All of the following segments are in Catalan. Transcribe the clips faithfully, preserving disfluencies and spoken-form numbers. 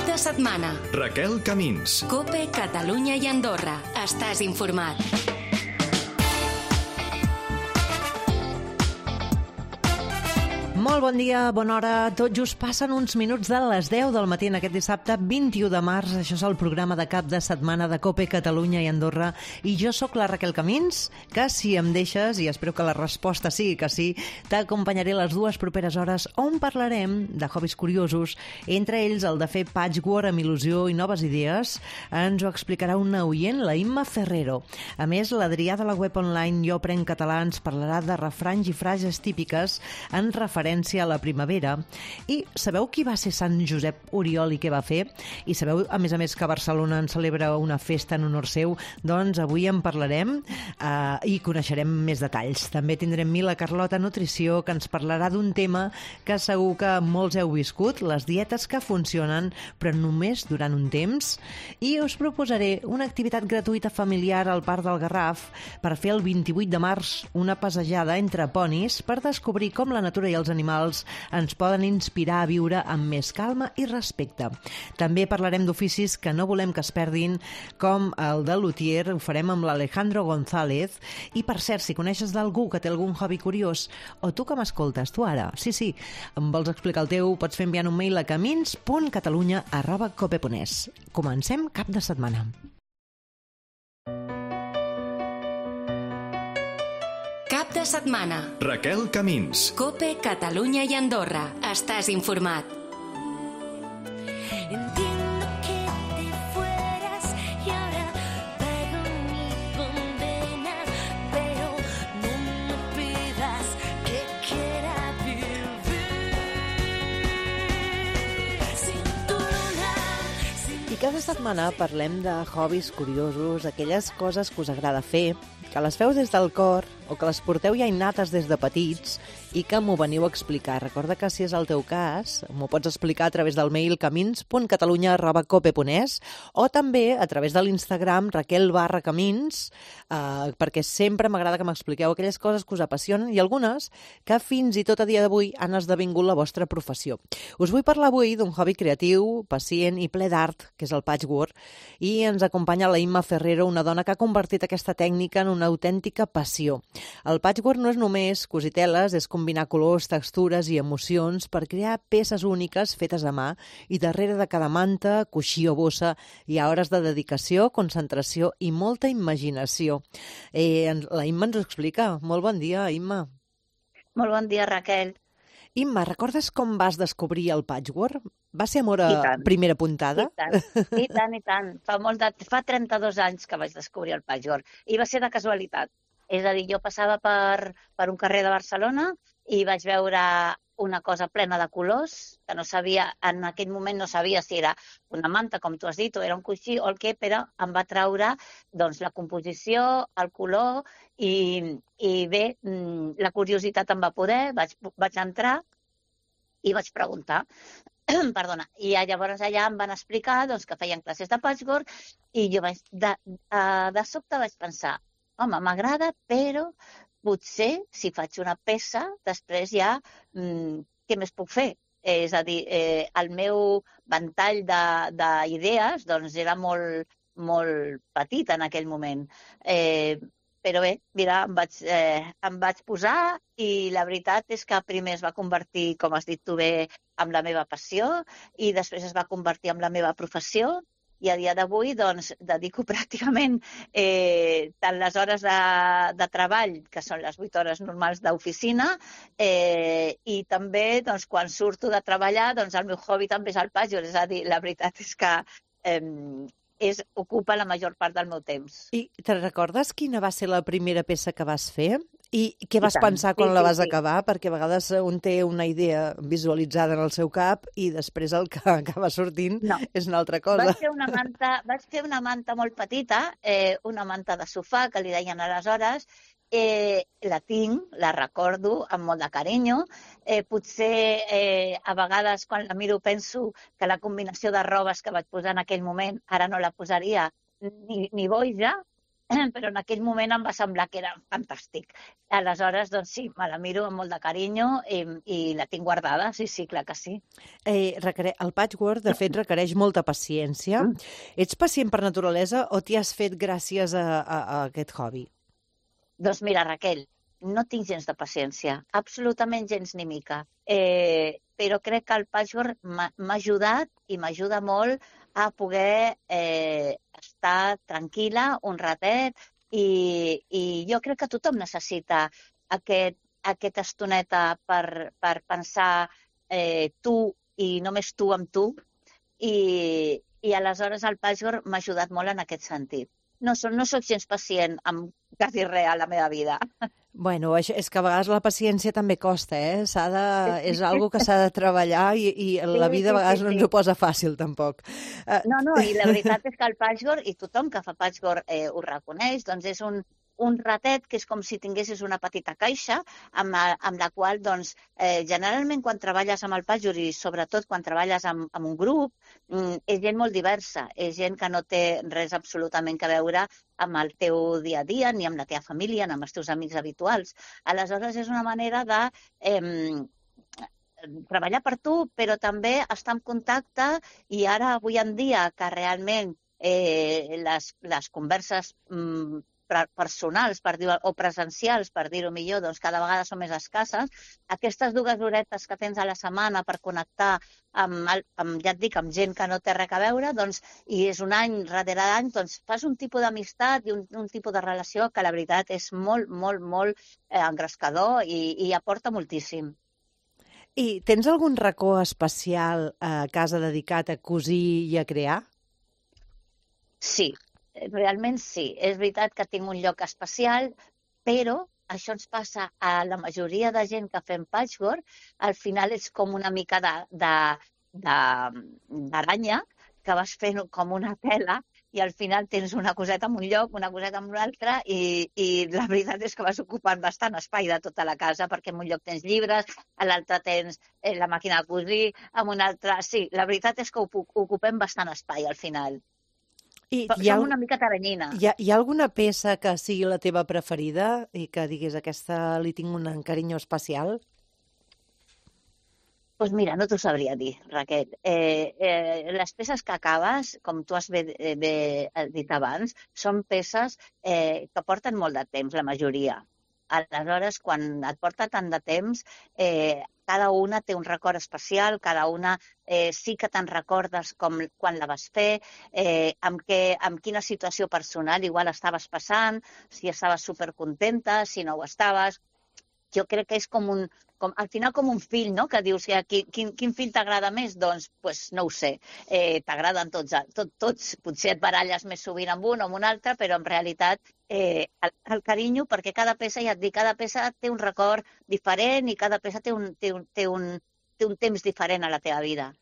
de setmana. Raquel Camins. COPE, Catalunya i Andorra. Estàs informat. Molt bon dia, bona hora. Tot just passen uns minuts de les deu del matí en aquest dissabte vint-i-u de març. Això és el programa de cap de setmana de COPE, Catalunya i Andorra. I jo sóc la Raquel Camins, que si em deixes, i espero que la resposta sigui que sí, t'acompanyaré les dues properes hores on parlarem de hobbies curiosos, entre ells el de fer patchwork amb il·lusió i noves idees. Ens ho explicarà una oient, la Imma Ferrero. A més, l'Adrià de la web online Jo Aprenc Català ens parlarà de refranys i frases típiques en referència a la primavera. I sabeu qui va ser Sant Josep Oriol i què va fer? I sabeu, a més a més, que Barcelona en celebra una festa en honor seu? Doncs avui en parlarem eh, i coneixerem més detalls. També tindrem Mila Carlota Nutrició, que ens parlarà d'un tema que segur que molts heu viscut, les dietes que funcionen, però només durant un temps. I us proposaré una activitat gratuïta familiar al Parc del Garraf per fer el vint-i-vuit de març una passejada entre ponis per descobrir com la natura i els animals ens poden inspirar a viure amb més calma i respecte. També parlarem d'oficis que no volem que es perdin, com el de luthier, ho farem amb l'Alejandro González. I per cert, si coneixes d'algú que té algun hobby curiós, o tu que m'escoltes, tu ara, sí, sí, em vols explicar el teu, pots fer enviant un mail a camins punt catalunya arroba cope punt es. Comencem cap de setmana. Cap de setmana. Raquel Camins. COPE, Catalunya i Andorra. Estàs informat. Entiendo que te fueras y ahora pago mi condena, pero no me pidas que quiera vivir sin tu luna. I cada setmana parlem de hobbies curiosos, aquelles coses que us agrada fer, que les feu des del cor o que les porteu ja innates des de petits i que m'ho veniu a explicar. Recorda que si és el teu cas, m'ho pots explicar a través del mail camins punt catalunya arroba cope punt es o també a través de l'Instagram Raquel barra Camins, eh, perquè sempre m'agrada que m'expliqueu aquelles coses que us apassionen i algunes que fins i tot a dia d'avui han esdevingut la vostra professió. Us vull parlar avui d'un hobby creatiu, pacient i ple d'art, que és el patchwork, i ens acompanya la Imma Ferrero, una dona que ha convertit aquesta tècnica en una autèntica passió. El patchwork no és només cosir teles, és combinar colors, textures i emocions per crear peces úniques fetes a mà i darrere de cada manta, coixí o bossa hi ha hores de dedicació, concentració i molta imaginació. Eh, la Imma ens ho explica. Molt bon dia, Imma. Molt bon dia, Raquel. Imma, recordes com vas descobrir el patchwork? Va ser amor a primera puntada? I tant, i tant, i tant. Fa, molt de, fa trenta-dos anys que vaig descobrir el patchwork i va ser de casualitat. És a dir, jo passava per, per un carrer de Barcelona i vaig veure una cosa plena de colors, que no sabia, en aquell moment no sabia si era una manta, com tu has dit, o era un coixí o el què, però em va traure doncs, la composició, el color i, i bé, la curiositat em va poder, vaig, vaig entrar i vaig preguntar. Perdona, i llavors allà em van explicar doncs, que feien classes de patchwork i jo vaig, de, de sobte vaig pensar, home, m'agrada, però potser si faig una peça, després ja, mmm, què més puc fer? És a dir, eh, el meu ventall d'idees doncs, era molt, molt petit en aquell moment. Eh, però bé, mira, em vaig, eh, em vaig posar i la veritat és que primer es va convertir, com has dit tu bé, en la meva passió i després es va convertir en la meva professió. I a dia d'avui doncs, dedico pràcticament eh, tant les hores de, de treball, que són les vuit hores normals d'oficina, eh, i també doncs, quan surto de treballar, doncs, el meu hobby també és el patchwork. És a dir, la veritat és que eh, és, ocupa la major part del meu temps. I te recordes quina va ser la primera peça que vas fer? I què vas I pensar quan sí, la vas sí, sí. acabar? Perquè a vegades un té una idea visualitzada en el seu cap i després el que acaba sortint no. és una altra cosa. Vaig fer una manta, vaig fer una manta molt petita, eh, una manta de sofà, que li deien aleshores. Eh, la tinc, la recordo amb molt de carinyo. Eh, potser eh, a vegades quan la miro penso que la combinació de robes que vaig posar en aquell moment ara no la posaria ni, ni boja. però en aquell moment em va semblar que era fantàstic. Aleshores, doncs sí, me la miro amb molt de carinyo i, i la tinc guardada, sí, sí, clar que sí. Eh, requere... El patchwork, de fet, requereix molta paciència. Ets pacient per naturalesa o t'hi has fet gràcies a, a, a aquest hobby? Doncs mira, Raquel, no tinc gens de paciència, absolutament gens ni mica. Eh, però crec que el patchwork m'ha m'ha ajudat i m'ajuda molt a poder eh, estar tranquil·la un ratet i, i jo crec que tothom necessita aquest, aquesta estoneta per, per pensar eh, tu i només tu amb tu i, i aleshores el patchwork m'ha ajudat molt en aquest sentit. No, so- no soc gens pacient amb quasi res a la meva vida. Bueno, això, és que a vegades la paciència també costa, eh? S'ha de, és algo que s'ha de treballar i, i la vida a sí, vegades sí, no ens sí. ho posa fàcil, tampoc. Eh, No, no, i la veritat és que el patchwork, i tothom que fa patchwork eh, ho reconeix, doncs és un, un ratet que és com si tinguessis una petita caixa amb, la- amb la qual, doncs, eh, generalment quan treballes amb el patchwork i sobretot quan treballes amb, amb un grup, mm, és gent molt diversa, és gent que no té res absolutament que veure amb el teu dia a dia, ni amb la teva família, ni amb els teus amics habituals. Aleshores, és una manera de eh, treballar per tu, però també estar en contacte i ara, avui en dia, que realment eh, les, les converses mm, pre- personals per dir, o presencials, per dir-ho millor, doncs cada vegada són més escasses, aquestes dues horetes que tens a la setmana per connectar amb, el- amb ja et dic, amb gent que no té res a veure, doncs, i és un any darrere d'any, doncs fas un tipus d'amistat i un, un tipus de relació que la veritat és molt, molt, molt eh, engrescador i, i aporta moltíssim. I tens algun racó especial a casa dedicat a cosir i a crear? Sí, realment sí. És veritat que tinc un lloc especial, però això ens passa a la majoria de gent que fem patchwork. Al final és com una mica de, de, de, d'aranya que vas fent com una tela i al final tens una coseta en un lloc, una coseta en un altre i, i la veritat és que vas ocupant bastant espai de tota la casa perquè en un lloc tens llibres, a l'altre tens eh, la màquina de cosir, en un altre... Sí, la veritat és que ocu- ocupem bastant espai al final. I Però hi ha, som al- una mica teranyina. hi, ha, hi ha alguna peça que sigui la teva preferida i que diguis aquesta li tinc un carinyo especial? Doncs pues mira, no t'ho sabria dir, Raquel. Eh, eh, les peces que acabes, com tu has bé, eh, bé dit abans, són peces eh, que porten molt de temps, la majoria. Aleshores, quan et porta tant de temps, eh, cada una té un record especial, cada una eh, sí que te'n recordes com quan la vas fer, eh, amb, què, amb quina situació personal igual estaves passant, si estaves supercontenta, si no ho estaves. Jo crec que és com un, com, al final com un fill, no? Que dius que quin, quin, quin fill t'agrada més? Doncs pues, no ho sé. Eh, T'agraden tots, tot, tots. Potser et baralles més sovint amb un o amb un altre, però en realitat eh, el, el carinyo, perquè cada peça, ja et dic, cada peça té un record diferent i cada peça té un, té un, té un, té un temps diferent a la teva vida.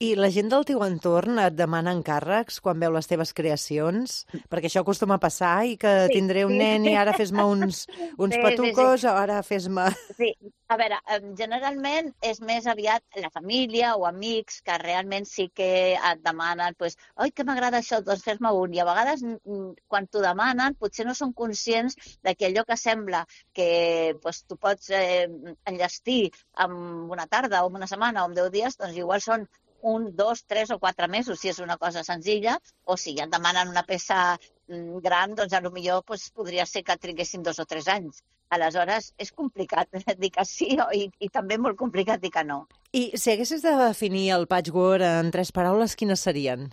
I la gent del teu entorn et demana encàrrecs quan veu les teves creacions? Perquè això acostuma a passar i que Sí, tindré un sí. nen i ara fes-me uns, uns Sí, sí, patucos, ara fes-me... Sí, a veure, em, generalment és més aviat la família o amics que realment sí que et demanen, pues, oi, que m'agrada això, doncs fes-me un. I a vegades, mm, quan t'ho demanen, potser no són conscients de que allò que sembla que pues, tu pots eh, enllestir en una tarda o en una setmana o en deu dies, doncs igual són un, dos, tres o quatre mesos, si és una cosa senzilla, o si ja et demanen una peça mm, gran, doncs potser pues, podria ser que triguessin dos o tres anys. Aleshores, és complicat dir que sí i, i també molt complicat dir que no. I si haguessis de definir el patchwork en tres paraules, quines serien?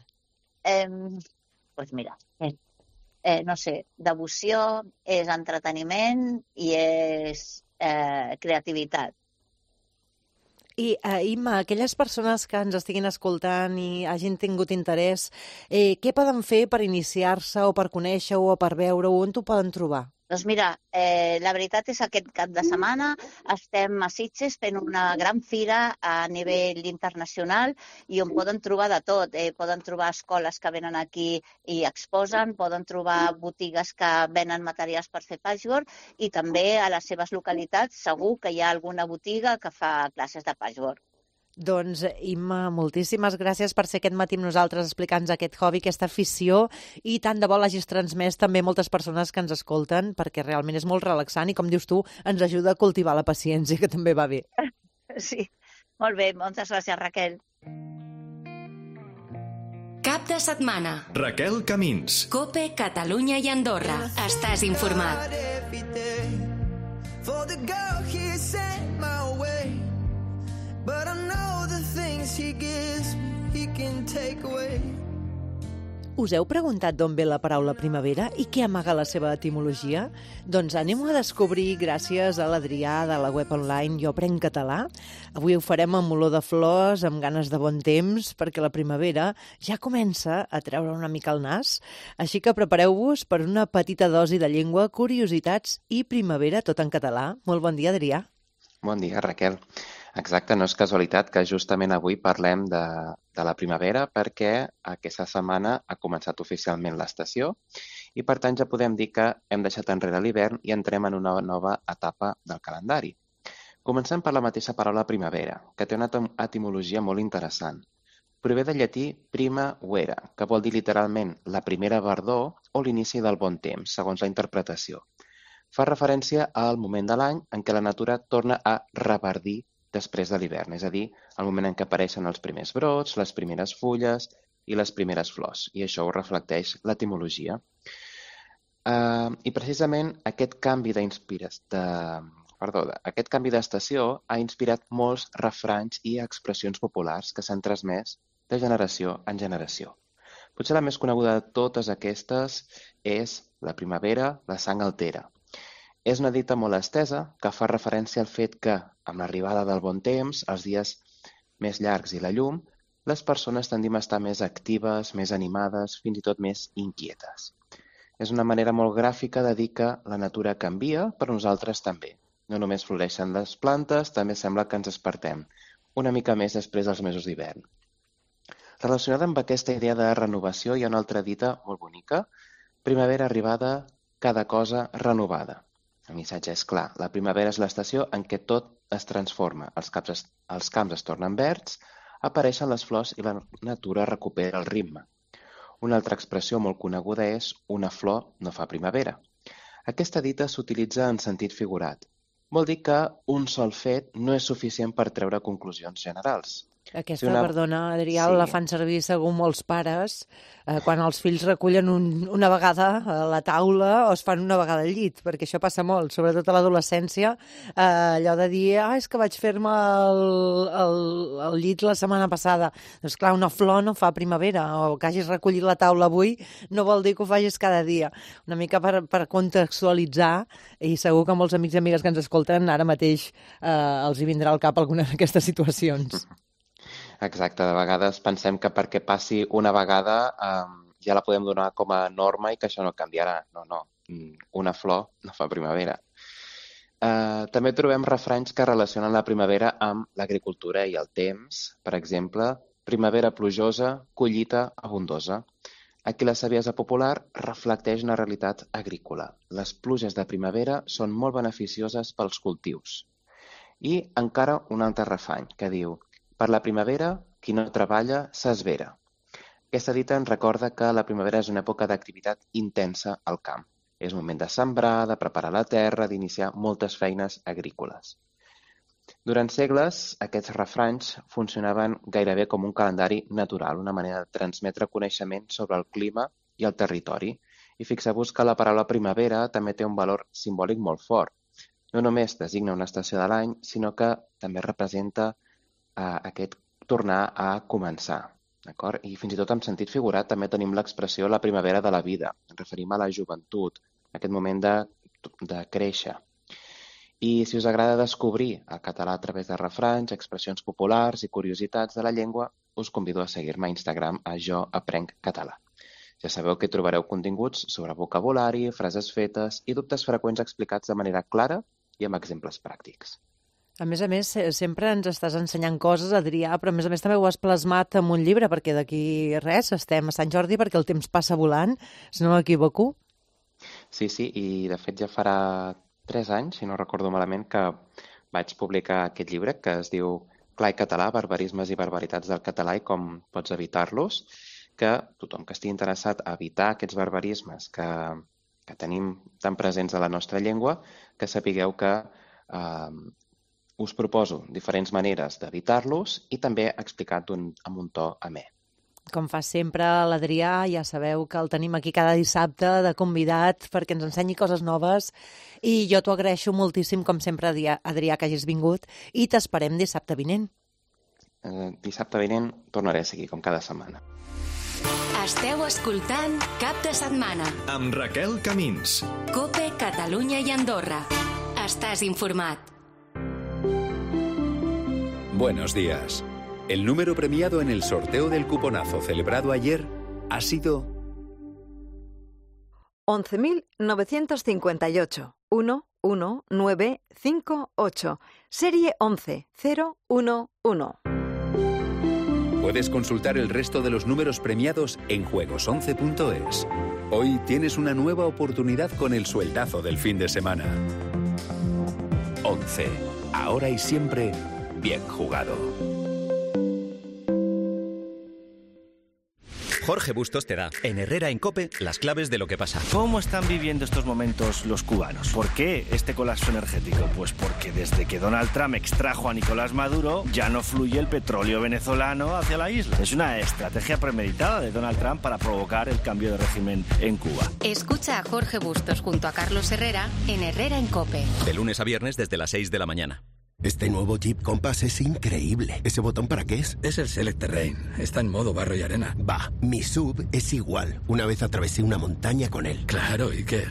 Eh, doncs mira, eh, eh, no sé, devoció, és entreteniment i és eh, creativitat. I, eh, Imma, aquelles persones que ens estiguin escoltant i hagin tingut interès, eh, què poden fer per iniciar-se o per conèixer-ho o per veure-ho? On t'ho poden trobar? Doncs mira, eh, la veritat és que aquest cap de setmana estem a Sitges fent una gran fira a nivell internacional i on poden trobar de tot. Eh, poden trobar escoles que venen aquí i exposen, poden trobar botigues que venen materials per fer patchwork i també a les seves localitats segur que hi ha alguna botiga que fa classes de patchwork. Doncs, Imma, moltíssimes gràcies per ser aquest matí amb nosaltres explicant-nos aquest hobby, aquesta afició, i tant de bo l'hagis transmès també a moltes persones que ens escolten, perquè realment és molt relaxant i, com dius tu, ens ajuda a cultivar la paciència, que també va bé. Sí, molt bé, moltes gràcies, Raquel. Cap de setmana. Raquel Camins. Cope, Catalunya i Andorra. Estàs informat. Every day for the girl he sent my way, but I know the things he gives me he can take away. Us heu preguntat d'on ve la paraula primavera i què amaga la seva etimologia? Doncs anem a descobrir gràcies a l'Adrià de la web online Jo Aprenc Català. Avui ho farem amb olor de flors, amb ganes de bon temps, perquè la primavera ja comença a treure una mica el nas. Així que prepareu-vos per una petita dosi de llengua, curiositats i primavera, tot en català. Molt bon dia, Adrià. Bon dia, Raquel. Exacte, no és casualitat que justament avui parlem de, de la primavera perquè aquesta setmana ha començat oficialment l'estació i per tant ja podem dir que hem deixat enrere l'hivern i entrem en una nova etapa del calendari. Comencem per la mateixa paraula primavera, que té una etimologia molt interessant. Prové del llatí prima vera, que vol dir literalment la primera verdor o l'inici del bon temps, segons la interpretació. Fa referència al moment de l'any en què la natura torna a reverdir després de l'hivern, és a dir, el moment en què apareixen els primers brots, les primeres fulles i les primeres flors, i això ho reflecteix l'etimologia. Uh, I precisament aquest canvi d'inspiració, de, perdó, aquest canvi d'estació ha inspirat molts refranys i expressions populars que s'han transmès de generació en generació. Potser la més coneguda de totes aquestes és la primavera, la sang altera. És una dita molt estesa que fa referència al fet que, amb l'arribada del bon temps, els dies més llargs i la llum, les persones tendim a estar més actives, més animades, fins i tot més inquietes. És una manera molt gràfica de dir que la natura canvia, però nosaltres també. No només floreixen les plantes, també sembla que ens despertem una mica més després dels mesos d'hivern. Relacionada amb aquesta idea de renovació hi ha una altra dita molt bonica: primavera arribada, cada cosa renovada. El missatge és clar, la primavera és l'estació en què tot es transforma, els camps es, els camps es tornen verds, apareixen les flors i la natura recupera el ritme. Una altra expressió molt coneguda és una flor no fa primavera. Aquesta dita s'utilitza en sentit figurat. Vol dir que un sol fet no és suficient per treure conclusions generals. Aquesta, Si una- perdona, Adrià, Sí. la fan servir segur molts pares eh, quan els fills recullen un, una vegada a la taula o es fan una vegada al llit, perquè això passa molt, sobretot a l'adolescència, eh, allò de dir, ah, és que vaig fer-me el, el, el llit la setmana passada. Doncs clar, una flor no fa primavera, o que hagis recollit la taula avui no vol dir que ho facis cada dia. Una mica per, per contextualitzar, i segur que molts amics i amigues que ens escolten ara mateix eh, els hi vindrà al cap alguna d'aquestes situacions. Exacte, de vegades pensem que perquè passi una vegada um, ja la podem donar com a norma i que això no canviarà. No, no, una flor no fa primavera. Uh, també trobem refranys que relacionen la primavera amb l'agricultura i el temps. Per exemple, primavera plujosa, collita abundosa. Aquí la saviesa popular reflecteix una realitat agrícola. Les pluges de primavera són molt beneficioses pels cultius. I encara un altre refrany que diu: per la primavera, qui no treballa s'esvera. Aquesta dita ens recorda que la primavera és una època d'activitat intensa al camp. És moment de sembrar, de preparar la terra, d'iniciar moltes feines agrícoles. Durant segles, aquests refranys funcionaven gairebé com un calendari natural, una manera de transmetre coneixement sobre el clima i el territori. I fixeu-vos que la paraula primavera també té un valor simbòlic molt fort. No només designa una estació de l'any, sinó que també representa Uh, aquest tornar a començar, d'acord? I fins i tot en sentit figurat també tenim l'expressió la primavera de la vida. Ens referim a la joventut, a aquest moment de, de créixer. I si us agrada descobrir el català a través de refranys, expressions populars i curiositats de la llengua, us convido a seguir-me a Instagram a Jo Aprenc Català. Ja sabeu que hi trobareu continguts sobre vocabulari, frases fetes i dubtes freqüents explicats de manera clara i amb exemples pràctics. A més a més, sempre ens estàs ensenyant coses, Adrià, però a més a més també ho has plasmat en un llibre, perquè d'aquí res, estem a Sant Jordi perquè el temps passa volant, si no m'equivoco. Sí, sí, i de fet ja farà tres anys, si no recordo malament, que vaig publicar aquest llibre que es diu Clar i català, barbarismes i barbaritats del català i com pots evitar-los, que tothom que estigui interessat a evitar aquests barbarismes que, que tenim tan presents a la nostra llengua, que sapigueu que eh, us proposo diferents maneres d'evitar-los i també explicat un, amb un to amè. Com fa sempre l'Adrià, ja sabeu que el tenim aquí cada dissabte de convidat perquè ens ensenyi coses noves i jo t'ho agraeixo moltíssim, com sempre, Adrià, Adrià que hagis vingut i t'esperem dissabte vinent. Eh, dissabte vinent tornaré a seguir, com cada setmana. Esteu escoltant Cap de Setmana. Amb Raquel Camins. COPE Catalunya i Andorra. Estàs informat. Buenos días. El número premiado en el sorteo del cuponazo celebrado ayer ha sido once mil novecientos cincuenta y ocho, uno uno nueve cinco ocho, serie once cero uno uno. Puedes consultar el resto de los números premiados en juegos once punto es. Hoy tienes una nueva oportunidad con el sueldazo del fin de semana. once. Ahora y siempre, bien jugado. Jorge Bustos te da, en Herrera en COPE, las claves de lo que pasa. ¿Cómo están viviendo estos momentos los cubanos? ¿Por qué este colapso energético? Pues porque desde que Donald Trump extrajo a Nicolás Maduro, ya no fluye el petróleo venezolano hacia la isla. Es una estrategia premeditada de Donald Trump para provocar el cambio de régimen en Cuba. Escucha a Jorge Bustos junto a Carlos Herrera en Herrera en COPE. De lunes a viernes desde las seis de la mañana. Este nuevo Jeep Compass es increíble. ¿Ese botón para qué es? Es el Select Terrain. Está en modo barro y arena. Va, mi sub es igual. Una vez atravesé una montaña con él. Claro, ¿y qué?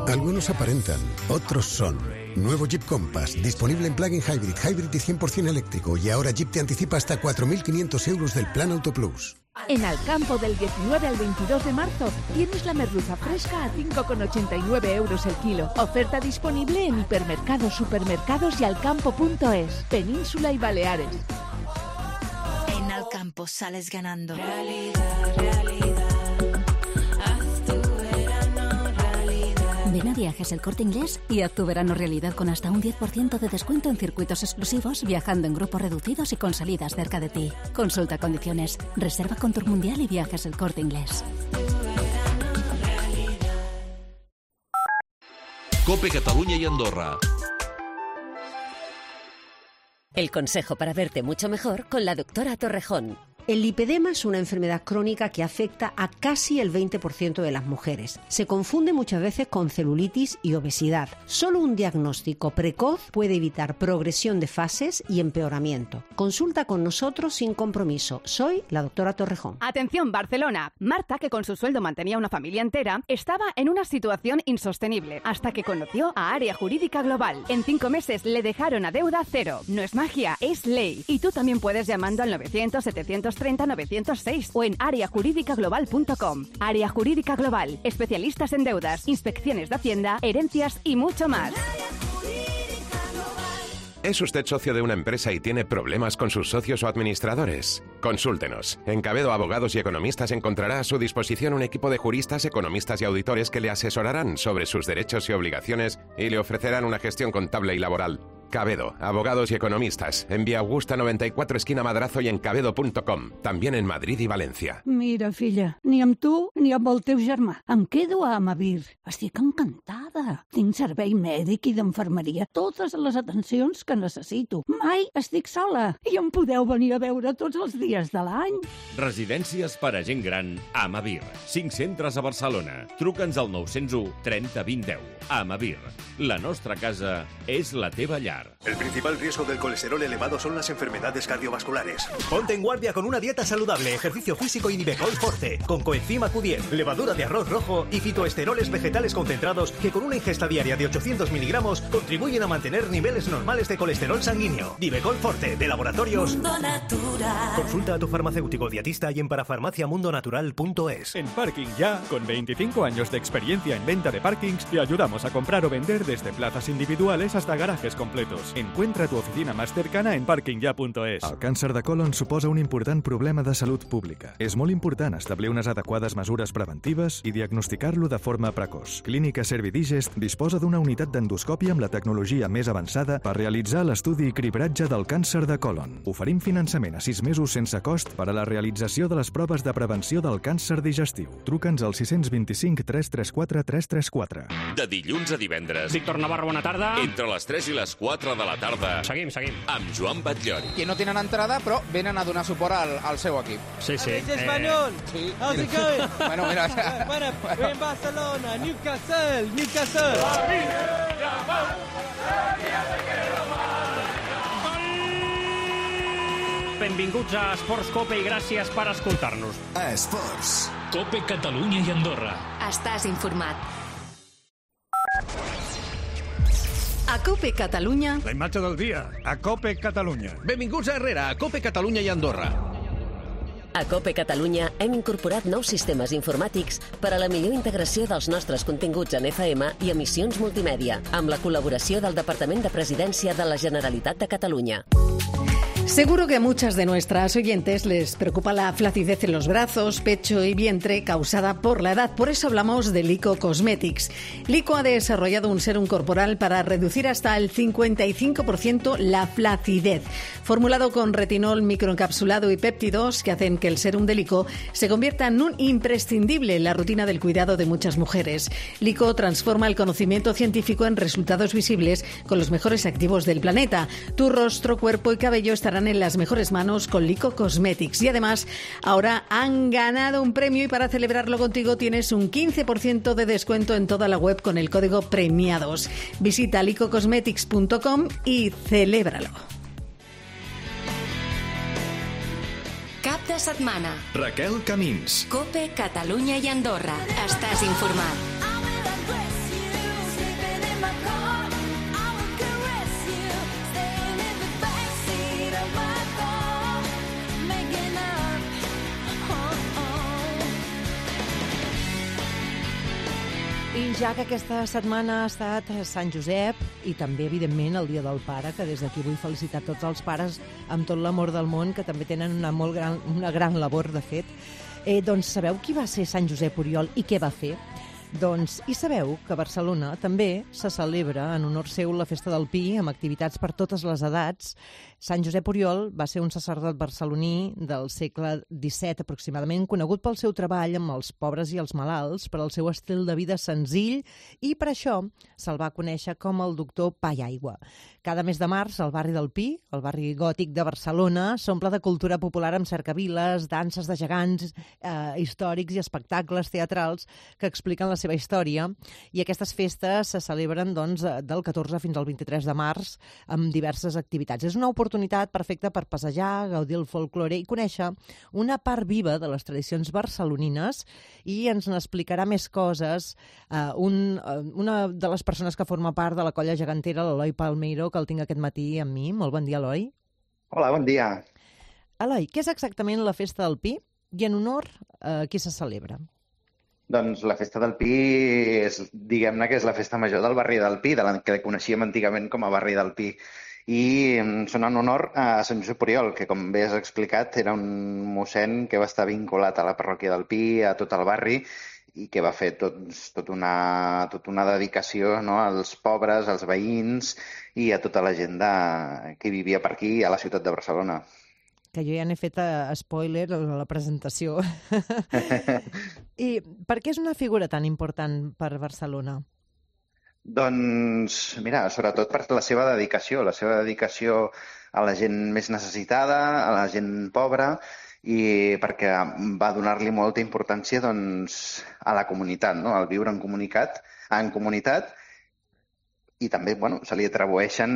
Algunos aparentan, otros son. Nuevo Jeep Compass, disponible en plug-in hybrid, hybrid y cien por ciento eléctrico. Y ahora Jeep te anticipa hasta cuatro mil quinientos euros del Plan Auto Plus. En Alcampo, del diecinueve al veintidós de marzo, tienes la merluza fresca a cinco con ochenta y nueve euros el kilo. Oferta disponible en hipermercados, supermercados y alcampo punto es. Península y Baleares. En Alcampo sales ganando. Realidad, realidad. Ven a Viajes El Corte Inglés y haz tu verano realidad con hasta un diez por ciento de descuento en circuitos exclusivos, viajando en grupos reducidos y con salidas cerca de ti. Consulta condiciones. Reserva con Tour Mundial y Viajes El Corte Inglés. COPE Catalunya y Andorra. El consejo para verte mucho mejor con la doctora Torrejón. El lipedema es una enfermedad crónica que afecta a casi el veinte por ciento de las mujeres. Se confunde muchas veces con celulitis y obesidad. Solo un diagnóstico precoz puede evitar progresión de fases y empeoramiento. Consulta con nosotros sin compromiso. Soy la doctora Torrejón. Atención, Barcelona. Marta, que con su sueldo mantenía una familia entera, estaba en una situación insostenible hasta que conoció a Área Jurídica Global. En cinco meses le dejaron a deuda cero. No es magia, es ley. Y tú también puedes llamando al novecientos setecientos treinta novecientos seis o en área jurídica global punto com. Área Jurídica Global, especialistas en deudas, inspecciones de Hacienda, herencias y mucho más. ¿Es usted socio de una empresa y tiene problemas con sus socios o administradores? Consúltenos. En Cabedo Abogados y Economistas encontrará a su disposición un equipo de juristas, economistas y auditores que le asesorarán sobre sus derechos y obligaciones y le ofrecerán una gestión contable y laboral. Cabedo, Abogados y Economistas, en Vía Augusta noventa y cuatro, esquina Madrazo y en cabedo punto com. También en Madrid y Valencia. Mira, filla, ni amb tu ni amb el teu germà. Em quedo a Amavir. Estic encantada. Tinc servei mèdic i d'infermeria, totes les atencions que necessito. Mai estic sola i em podeu venir a veure tots els dies de l'any. Residències per a gent gran Amavir. Cinc centres a Barcelona. Truca'ns al nou zero u trenta vint deu. Amavir. La nostra casa és la teva llar. El principal riesgo del colesterol elevado son las enfermedades cardiovasculares. Ponte en guardia con una dieta saludable, ejercicio físico y Nivecol Forte, con coenzima Q diez, levadura de arroz rojo y fitoesteroles vegetales concentrados que con una ingesta diaria de ochocientos miligramos contribuyen a mantener niveles normales de colesterol sanguíneo. Nivecol Forte, de Laboratorios Mundo Natural. Consulta a tu farmacéutico dietista y en parafarmacia mundo natural punto es. En Parking Ya, con veinticinco años de experiencia en venta de parkings, te ayudamos a comprar o vender desde plazas individuales hasta garajes completos boletos. Encuentra tu oficina más cercana en parking ya punto es. El càncer de colon suposa un important problema de salut pública. És molt important establir unes adequades mesures preventives i diagnosticar-lo de forma precoç. Clínica Servidigest disposa d'una unitat d'endoscòpia amb la tecnologia més avançada per realitzar l'estudi i cribratge del càncer de colon. Oferim finançament a sis mesos sense cost per a la realització de les proves de prevenció del càncer digestiu. Truca'ns al sis dos cinc, tres tres quatre, tres tres quatre. De dilluns a divendres. Víctor Navarro, bona tarda. Entre les tres i les quatre de la tarda. Seguim, seguim. Amb Joan Batllori. Que no tenen entrada, però venen a donar suport al, al seu equip. Sí, sí. Es español. Sí. How's it going? Bueno, mira. Bueno, we're in Barcelona, Newcastle, Newcastle. Benvinguts a Esports Cope i gràcies per escoltar-nos. Esports. Cope Catalunya i Andorra. Estàs informat. A Cope Catalunya... La imatge del dia, a Cope Catalunya. Benvinguts a Herrera, a Cope Catalunya i Andorra. A Cope Catalunya hem incorporat nous sistemes informàtics per a la millor integració dels nostres continguts en F M i emissions multimèdia, amb la col·laboració del Departament de Presidència de la Generalitat de Catalunya. Seguro que a muchas de nuestras oyentes les preocupa la flacidez en los brazos, pecho y vientre causada por la edad. Por eso hablamos de Lico Cosmetics. Lico ha desarrollado un serum corporal para reducir hasta el cincuenta y cinco por ciento la flacidez. Formulado con retinol microencapsulado y péptidos que hacen que el serum de Lico se convierta en un imprescindible en la rutina del cuidado de muchas mujeres. Lico transforma el conocimiento científico en resultados visibles con los mejores activos del planeta. Tu rostro, cuerpo y cabello estarán en las mejores manos con Lico Cosmetics. Y además, ahora han ganado un premio y para celebrarlo contigo tienes un quince por ciento de descuento en toda la web con el código premiados. Visita lico cosmetics punto com y celébralo. Cap de setmana. Raquel Camins. Cope Catalunya i Andorra. Estàs informat. I ja que aquesta setmana ha estat Sant Josep i també, evidentment, el Dia del Pare, que des d'aquí vull felicitar tots els pares amb tot l'amor del món, que també tenen una, molt gran, una gran labor, de fet. Eh, doncs sabeu qui va ser Sant Josep Oriol i què va fer? Doncs, i sabeu que a Barcelona també se celebra en honor seu la Festa del Pi, amb activitats per totes les edats. Sant Josep Oriol va ser un sacerdot barceloní del segle disset aproximadament, conegut pel seu treball amb els pobres i els malalts, per al seu estil de vida senzill, i per això se'l va conèixer com el doctor Pa i Aigua. Cada mes de març, el barri del Pi, el barri gòtic de Barcelona, s'omple de cultura popular amb cercaviles, danses de gegants, eh, històrics i espectacles teatrals que expliquen la seva història. I aquestes festes se celebren doncs, del catorze fins al vint-i-tres de març amb diverses activitats. És una oportunitat perfecta per passejar, gaudir el folklore i conèixer una part viva de les tradicions barcelonines, i ens n'explicarà més coses eh, un, una de les persones que forma part de la colla gegantera, l'Eloi Palmeiro, que el tinc aquest matí amb mi. Molt bon dia, Eloi. Hola, bon dia. Eloi, què és exactament la Festa del Pi i en honor a qui se celebra? Doncs la Festa del Pi és, diguem-ne que és la festa major del barri del Pi, de la que coneixíem antigament com a barri del Pi. I són en honor a Sant Josep Oriol, que, com bé has explicat, era un mossèn que va estar vinculat a la parròquia del Pi, a tot el barri, i que va fer tot, tot una, tot una dedicació, no?, als pobres, als veïns i a tota la gent de, que vivia per aquí, a la ciutat de Barcelona. Que jo ja n'he fet a spoiler a la presentació. I per què és una figura tan important per Barcelona? Doncs, mira, sobretot per la seva dedicació, la seva dedicació a la gent més necessitada, a la gent pobra, i perquè va donar-li molta importància doncs, a la comunitat, no?, al viure en comunitat, en comunitat, i també bueno, se li atribueixen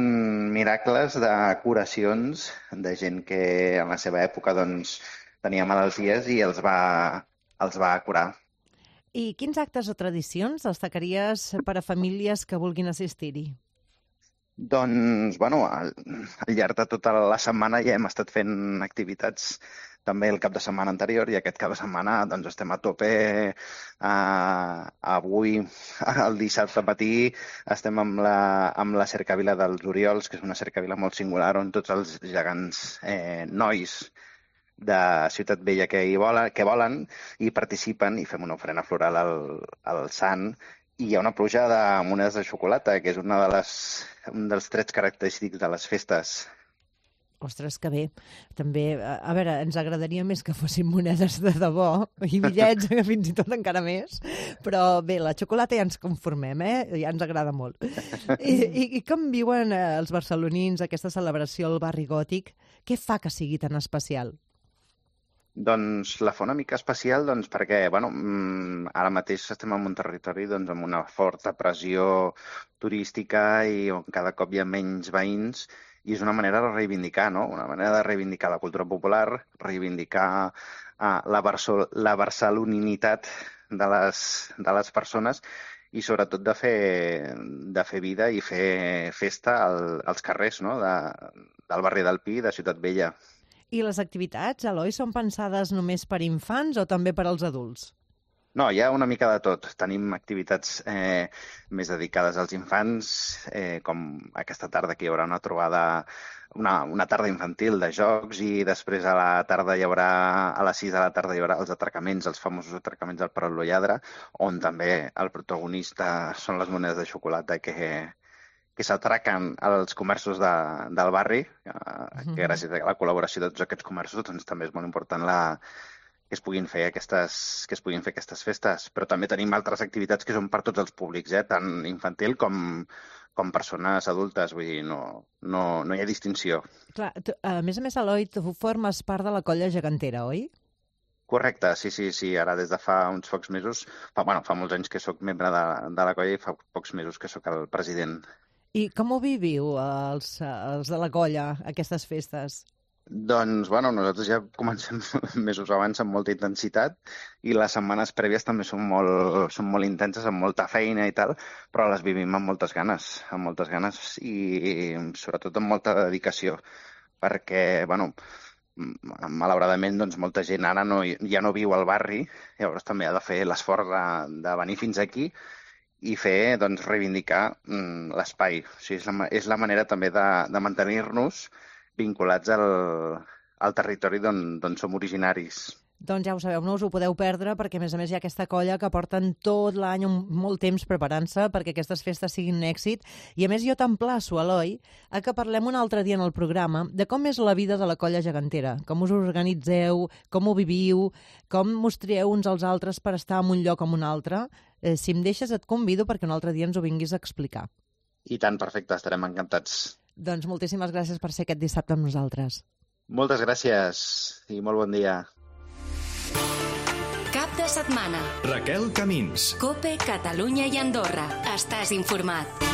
miracles de curacions de gent que en la seva època doncs, tenia malalties i els va, els va curar. I quins actes o tradicions destacaries per a famílies que vulguin assistir-hi? Doncs, bueno, al, al llarg de tota la setmana ja hem estat fent activitats també el cap de setmana anterior, i aquest cap de setmana doncs, estem a tope. Uh, avui, el dissabte matí, estem amb la, amb la cercavila dels Oriols, que és una cercavila molt singular, on tots els gegants eh, nois de Ciutat Vella que hi volen, que volen i participen, i fem una ofrena floral al, al sant. I hi ha una pluja de monedes de xocolata, que és una de les, un dels trets característics de les festes. Ostres, que bé. També, a veure, ens agradaria més que fossin monedes de debò, i bitllets, fins i tot encara més, però bé, la xocolata ja ens conformem, eh? Ja ens agrada molt. I, i, i com viuen els barcelonins aquesta celebració al barri gòtic? Què fa que sigui tan especial? Doncs la fa una mica especial doncs, perquè bueno, ara mateix estem en un territori doncs, amb una forta pressió turística i on cada cop hi ha menys veïns, i és una manera de reivindicar, no? Una manera de reivindicar la cultura popular, reivindicar uh, la, barso la barceloninitat de les, de les persones i sobretot de fer, de fer vida i fer festa al, als carrers, no? de, del barri del Pi, de Ciutat Vella. I les activitats, Eloi, són pensades només per infants o també per als adults? No, hi ha una mica de tot. Tenim activitats eh, més dedicades als infants, eh, com aquesta tarda que hi haurà una trobada, una, una tarda infantil de jocs, i després a la tarda hi haurà, a les sis de la tarda hi haurà els atracaments, els famosos atracaments del Parol Lladre, on també el protagonista són les monedes de xocolata que... que s'atraquen als comerços de, del barri, que gràcies a la col·laboració de tots aquests comerços doncs, també és molt important la, que, es puguin fer aquestes, que es puguin fer aquestes festes. Però també tenim altres activitats que són per tots els públics, eh? Tant infantil com, com persones adultes, vull dir, no, no, no hi ha distinció. Clar, tu, a més a més, Eloi, tu formes part de la colla gegantera, oi? Correcte, sí, sí, sí. Ara des de fa uns pocs mesos, fa, bueno, fa molts anys que sóc membre de, de la colla i fa pocs mesos que sóc el president. I com ho viviu, els, els de la colla, aquestes festes? Doncs, bueno, nosaltres ja comencem mesos abans amb molta intensitat i les setmanes prèvies també són molt, són molt intenses, amb molta feina i tal, però les vivim amb moltes ganes, amb moltes ganes i, i sobretot amb molta dedicació, perquè, bueno, malauradament, doncs, molta gent ara no, ja no viu al barri, llavors també ha de fer l'esforç de, de venir fins aquí i fer, doncs, reivindicar mm, l'espai. O sigui, és, la, és la manera també de, de mantenir-nos vinculats al, al territori d'on som originaris. Doncs ja ho sabeu, no us ho podeu perdre, perquè a més a més hi ha aquesta colla que porten tot l'any molt temps preparant-se perquè aquestes festes siguin un èxit. I a més jo t'emplaço, Eloi, a que parlem un altre dia en el programa de com és la vida de la colla gegantera, com us organitzeu, com ho viviu, com mostrieu uns als altres per estar en un lloc o en un altre. Eh, si em deixes et convido perquè un altre dia ens ho vinguis a explicar. I tant, perfecte, estarem encantats. Doncs moltíssimes gràcies per ser aquest dissabte amb nosaltres. Moltes gràcies i molt bon dia. Cap de setmana. Raquel Camins. COPE, Catalunya i Andorra. Estàs informat.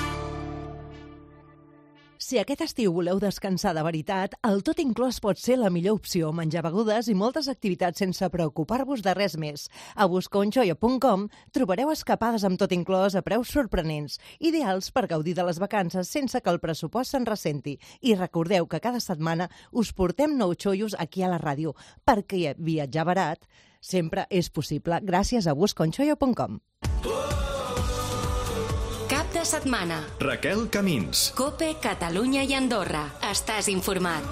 Si aquest estiu voleu descansar de veritat, el tot inclòs pot ser la millor opció. Menjar begudes i moltes activitats sense preocupar-vos de res més. A busconchoyo punt com trobareu escapades amb tot inclòs a preus sorprenents, ideals per gaudir de les vacances sense que el pressupost se'n ressenti. I recordeu que cada setmana us portem nous xollos aquí a la ràdio, perquè viatjar barat sempre és possible gràcies a busconchoyo punt com. Cap de setmana. Raquel Camins. COPE, Catalunya i Andorra. Estàs informat.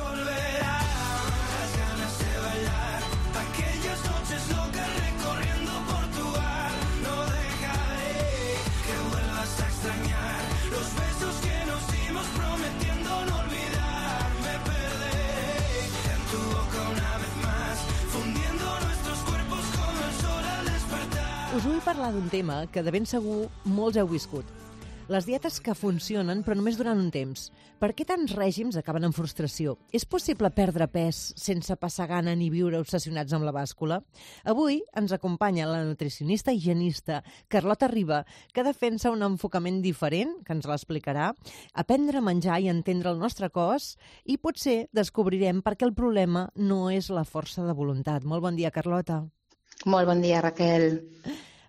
Us vull parlar d'un tema que de ben segur molts heu viscut. Les dietes que funcionen, però només durant un temps. Per què tants règims acaben en frustració? És possible perdre pes sense passar gana ni viure obsessionats amb la bàscula? Avui ens acompanya la nutricionista i higienista Carlota Riba, que defensa un enfocament diferent, que ens l'explicarà, aprendre a menjar i entendre el nostre cos, i potser descobrirem per què el problema no és la força de voluntat. Molt bon dia, Carlota. Molt bon dia, Raquel.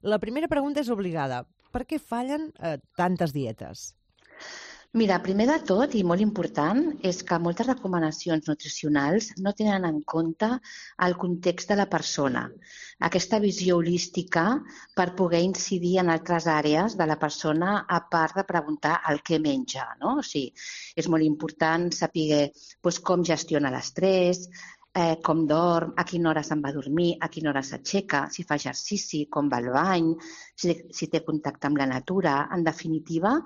La primera pregunta és obligada. Per què fallen eh, tantes dietes? Mira, primer de tot, i molt important, és que moltes recomanacions nutricionals no tenen en compte el context de la persona. Aquesta visió holística per poder incidir en altres àrees de la persona a part de preguntar el que menja, no? O sigui, és molt important saber doncs, com gestiona l'estrès, eh, com dorm, a quina hora se'n va a dormir, a quina hora s'aixeca, si fa exercici, com va al bany, si, si té contacte amb la natura. En definitiva,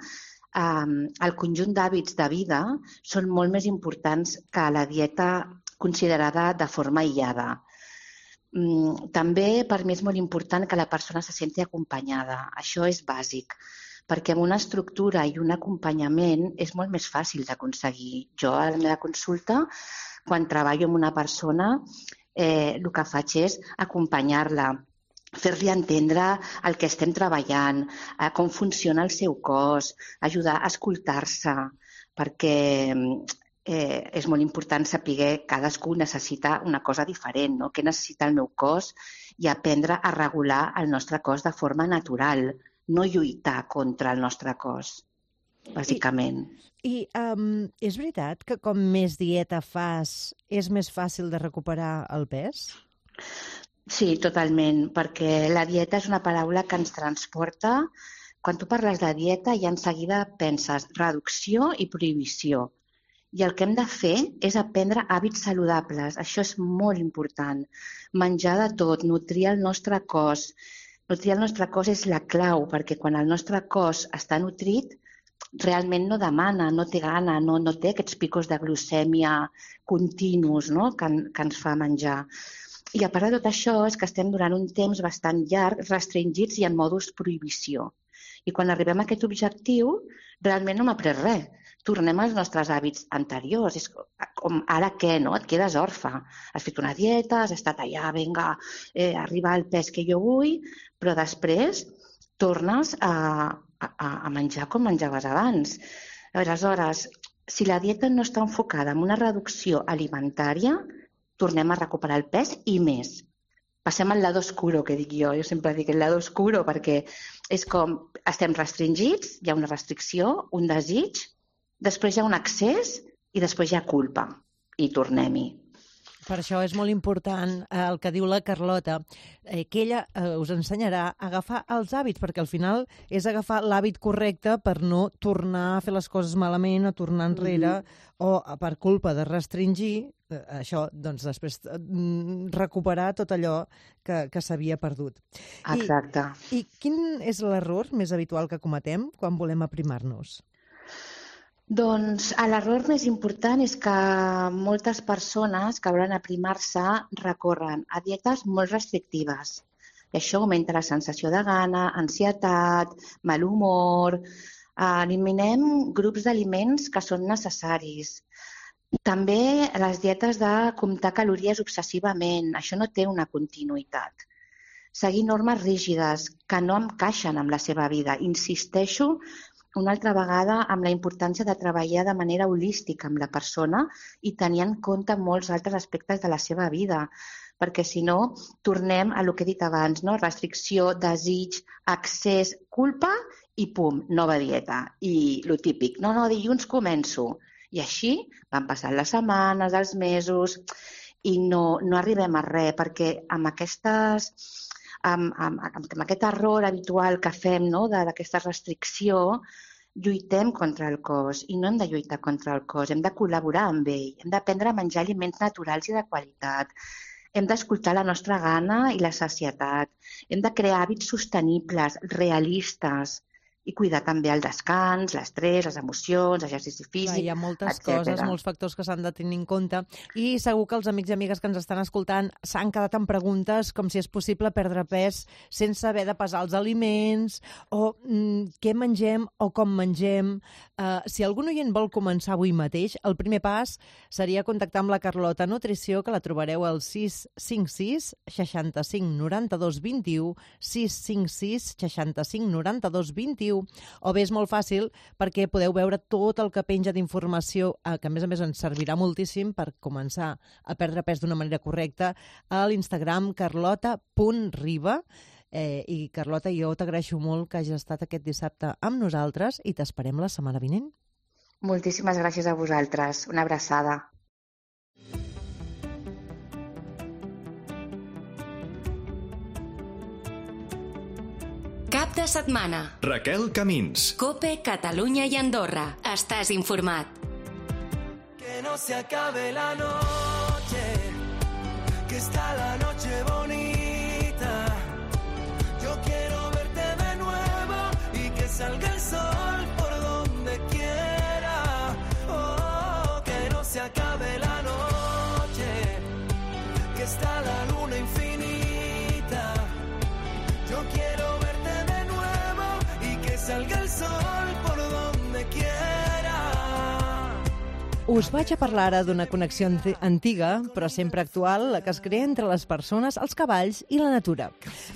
Um, el conjunt d'hàbits de vida són molt més importants que la dieta considerada de forma aïllada. Um, també per mi és molt important que la persona se senti acompanyada. Això és bàsic, perquè amb una estructura i un acompanyament és molt més fàcil d'aconseguir. Jo a la meva consulta, quan treballo amb una persona, eh, el que faig és acompanyar-la, fer-li entendre el que estem treballant, eh, com funciona el seu cos, ajudar a escoltar-se, perquè eh, és molt important saber que cadascú necessita una cosa diferent, no? Què necessita el meu cos i aprendre a regular el nostre cos de forma natural, no lluitar contra el nostre cos, bàsicament. I, i um, és veritat que com més dieta fas és més fàcil de recuperar el pes? Sí, totalment, perquè la dieta és una paraula que ens transporta. Quan tu parles de dieta, ja en seguida penses reducció i prohibició. I el que hem de fer és aprendre hàbits saludables. Això és molt important. Menjar de tot, nutrir el nostre cos. Nutrir el nostre cos és la clau, perquè quan el nostre cos està nutrit, realment no demana, no té gana, no, no té aquests picos de glucèmia continus, no? que, que ens fa menjar. I a part de tot això és que estem durant un temps bastant llarg restringits i en modus prohibició. I quan arribem a aquest objectiu, realment no hem après res. Tornem als nostres hàbits anteriors. És com ara què, no? Et quedes orfe. Has fet una dieta, has estat allà, vinga, eh, arribar al pes que jo vull, però després tornes a, a, a menjar com menjaves abans. Aleshores, si la dieta no està enfocada en una reducció alimentària, tornem a recuperar el pes i més. Passem al lado oscuro, que dic jo. Jo sempre dic el lado oscuro perquè és com estem restringits, hi ha una restricció, un desig, després hi ha un excés i després hi ha culpa. I tornem-hi. Per això és molt important eh, el que diu la Carlota, eh, que ella eh, us ensenyarà a agafar els hàbits, perquè al final és agafar l'hàbit correcte per no tornar a fer les coses malament, a tornar enrere, mm-hmm. o per culpa de restringir, eh, això, doncs després eh, recuperar tot allò que, que s'havia perdut. Exacte. I, I quin és l'error més habitual que cometem quan volem aprimar-nos? Doncs l'error més important és que moltes persones que volen aprimar-se recorren a dietes molt restrictives. I això augmenta la sensació de gana, ansietat, mal humor. Eliminem grups d'aliments que són necessaris. També les dietes de comptar calories obsessivament. Això no té una continuïtat. Seguir normes rígides que no encaixen amb la seva vida. Insisteixo una altra vegada amb la importància de treballar de manera holística amb la persona i tenir en compte molts altres aspectes de la seva vida, perquè si no tornem a lo que he dit abans, no? Restricció, desig, excés, culpa i pum, nova dieta. I lo típic, no, no, dilluns començo. I així van passant les setmanes, els mesos i no, no arribem a res, perquè amb aquestes... Amb, amb, amb aquest error habitual que fem, no? d'aquesta restricció, lluitem contra el cos i no hem de lluitar contra el cos, hem de col·laborar amb ell, hem d'aprendre a menjar aliments naturals i de qualitat, hem d'escoltar la nostra gana i la sacietat, hem de crear hàbits sostenibles, realistes i cuidar també el descans, l'estrès, les emocions, l'exercici físic, Clar, hi ha moltes etcètera. coses, molts factors que s'han de tenir en compte i segur que els amics i amigues que ens estan escoltant s'han quedat amb preguntes com si és possible perdre pes sense haver de pesar els aliments o mm, què mengem o com mengem. Uh, si algun oient vol començar avui mateix, el primer pas seria contactar amb la Carlota Nutrició, que la trobareu al sis cinc sis, seixanta-cinc, noranta-dos, vint-i-u, sis cinc sis, seixanta-cinc, noranta-dos, vint-i-u, o bé és molt fàcil perquè podeu veure tot el que penja d'informació, eh, que a més a més ens servirà moltíssim per començar a perdre pes d'una manera correcta, a l'Instagram carlota punt riba. Eh, I Carlota, jo t'agraeixo molt que hagis estat aquest dissabte amb nosaltres i t'esperem la setmana vinent. Moltíssimes gràcies a vosaltres. Una abraçada. Cap de setmana. Raquel Camins. COPE, Catalunya i Andorra. Estàs informat. Que no se acabe la noche, que está la noche bonita. Yo quiero verte de nuevo y que salga el sol por donde quiera. Oh, que no se acabe la noche, que está la luna infinita. Yo quiero verte de nuevo y que salga el sol por donde quiera. Us vaig a parlar ara d'una connexió antiga, però sempre actual, la que es crea entre les persones, els cavalls i la natura.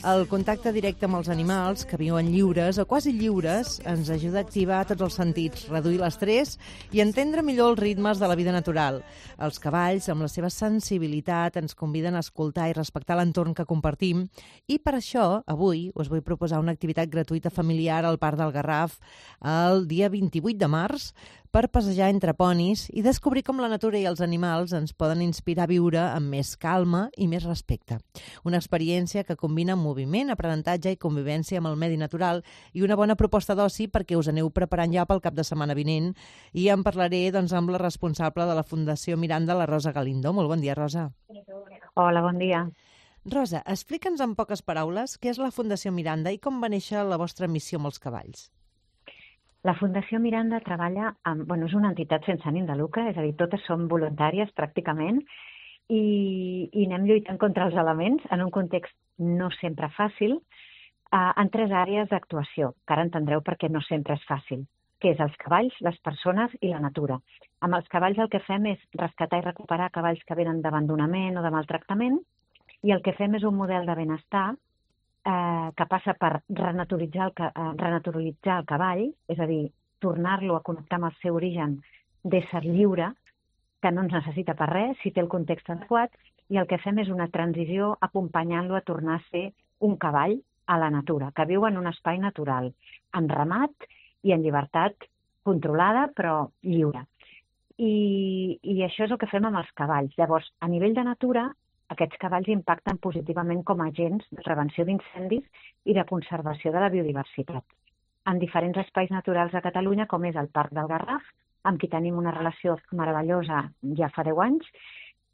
El contacte directe amb els animals, que viuen lliures o quasi lliures, ens ajuda a activar tots els sentits, reduir l'estrès i entendre millor els ritmes de la vida natural. Els cavalls, amb la seva sensibilitat, ens conviden a escoltar i respectar l'entorn que compartim i per això, avui, us vull proposar una activitat gratuïta familiar al Parc del Garraf el dia vint-i-vuit de març per passejar entre ponis i descobrir com la natura i els animals ens poden inspirar a viure amb més calma i més respecte. Una experiència que combina moviment, aprenentatge i convivència amb el medi natural i una bona proposta d'oci perquè us aneu preparant ja pel cap de setmana vinent. I en parlaré doncs, amb la responsable de la Fundació Miranda, la Rosa Galindo. Molt bon dia, Rosa. Hola, bon dia. Rosa, explica'ns en poques paraules què és la Fundació Miranda i com va néixer la vostra missió amb els cavalls. La Fundació Miranda treballa amb... Bueno, és una entitat sense ànim de lucre, és a dir, totes són voluntàries pràcticament i, i anem lluitant contra els elements en un context no sempre fàcil eh, en tres àrees d'actuació, que ara entendreu perquè no sempre és fàcil, que és els cavalls, les persones i la natura. Amb els cavalls el que fem és rescatar i recuperar cavalls que venen d'abandonament o de maltractament i el que fem és un model de benestar Eh, que passa per renaturalitzar el, eh, renaturalitzar el cavall, és a dir, tornar-lo a connectar amb el seu origen d'ésser lliure, que no ens necessita per res, si té el context adequat, i el que fem és una transició acompanyant-lo a tornar a ser un cavall a la natura, que viu en un espai natural, en ramat i en llibertat controlada, però lliure. I, i això és el que fem amb els cavalls. Llavors, a nivell de natura, aquests cavalls impacten positivament com a agents de prevenció d'incendis i de conservació de la biodiversitat. En diferents espais naturals de Catalunya, com és el Parc del Garraf, amb qui tenim una relació meravellosa ja fa deu anys,